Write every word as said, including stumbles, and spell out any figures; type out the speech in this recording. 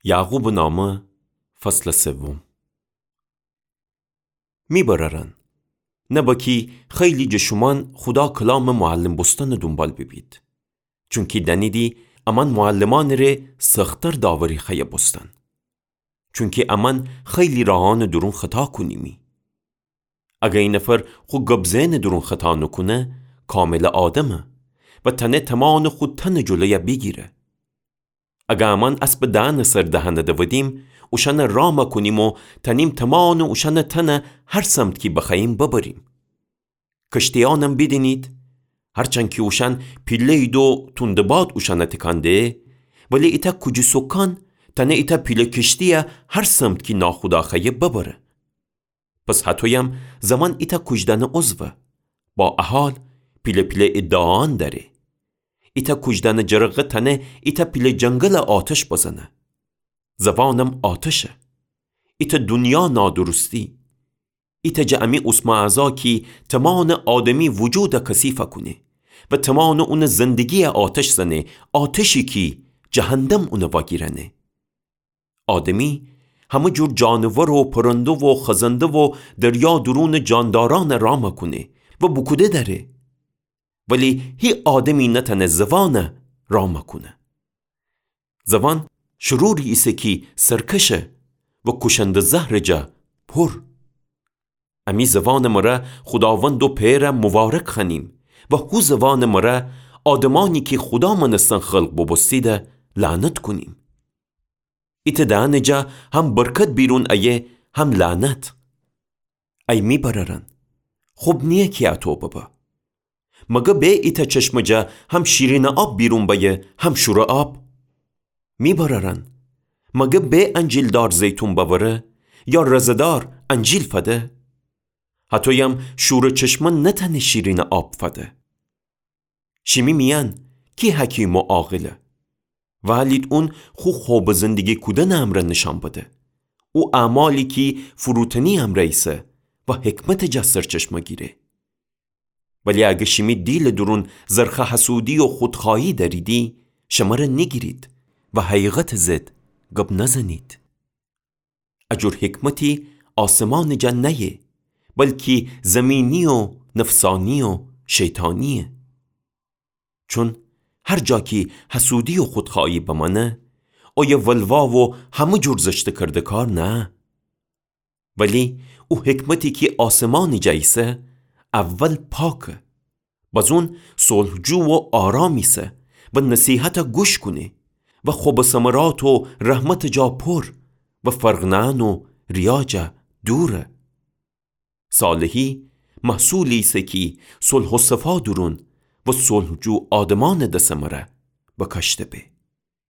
یعقوبٚ نامه، فصلٚ سوم. می برأرأن، نبا کی خیلی جٚه شومأن خودا کلامٚ معلم بوستنٚ دونبال بیبید. چونکی دأنیدی امأن معلمأنٚ ره سخت‌تر داوری خوأیه بوستن. چونکی امأن خیلی راهأنٚ دورون خطا کونیمی. اگر ای نفر خو گب زئنٚ دورون خطا نوکونه، کاملٚ آدمه و تأنه تمأنٚ خو تنٚ جلویه بیگیره. اگر امأن اسبٚ دهنٚ سر دهنه دودیم، اوشأنه رام کونیم و تأنیم تمأنٚ اوشأنٚ تنه هر سمت کی بخوأییم ببریم. کشتیأنم بیدینید، هرچند کی اوشأن پیله‌یید و توندٚ باد اوشأنه تکان ده، ولی ایتأ کوجی سوکان تأنه ایتأ پیله کشتییه هر سمت کی ناخودا خوأیه ببره. پس هطویم زوأن ایتأ کوجدأنه عضوه، با ا حال پیله پیله ادعاأن دأره. ایتأ کوجدأنه جرقه تأنه ایتأ پیله جنگل آتش بزنه. زوأنم آتشه. ایتأ دونیا نادرستی. ایتأ جٚه امی اوسمه اعضا کی تمأنٚ آدمی وجوده کثیف کونه و تمأنٚ اونٚ زندگییه آتش زنه، آتشی کی جهندم اونه واگیرأنه. آدمی همه جور جانور و پرنده و خزنده و دریا دورونٚ جاندارأنه رام کونه و بوکوده دأره. ولی هی آدمی نتأنه زوأنه رام کونه. زوأن شروری ایسه کی سرکشه و کوشندٚ زهرٚ جا پور. امی زوأنٚ مره خوداوند و پئره موبارک خوأنیم و هو زوأنٚ مره آدمأنی کی خودا مأنستن خلق بوبوستیده لعنت کونیم. ایتأ دهنٚ جا هم برکت بیرون ایه هم لعنت. ای می برأرأن، خب نییه کی اطو ببه. مگه به ایتأ چشمٚ جا هم شیرینٚ آب بیرون بأیه هم شورٚ آب؟ می برأرأن، مگه به انجیلدار زیتون بأوره یا رزه‌دار انجیل فده؟ هطویم شورٚ چشمه نتأنه شیرینٚ آب فده. شیمی میأن کی حکیم و عاقله؟ وألید اون خو خوبٚ زندگی کودنٚ امرأ نیشأن بده. او اعمالی کی فروتنی امرأ ایسه و حکمتٚ جا سرچشمه گیره. ولی اگر شیمی دیلٚ دورون زرخه حسودی و خودخوأیی دأریدی، شمره نیگیرید و حقیقتٚ ضد گب نزنید. ا جور حکمتی آسمانٚ جا نأیه، بلکی زمینی و نفسانی و شیطانییه. چون هر جا کی حسودی و خودخوأیی بمأنه، اویه ولوا و همه جور زشتٚ کرده‌کار نأه. ولی او حکمتی کی آسمانٚ جا ایسه، اول پاکه. بزون صلح‌جو و آرام ایسه و نصیحته گوش کونه و خوبٚ ثمرات و رحمتٚ جا پر و فرق نأن و ریا جا دوره. صالحی محصولی ایسه کی صلح و صفا دورون و صلح‌جو آدمأنٚ دسٚ مره بکاشته به.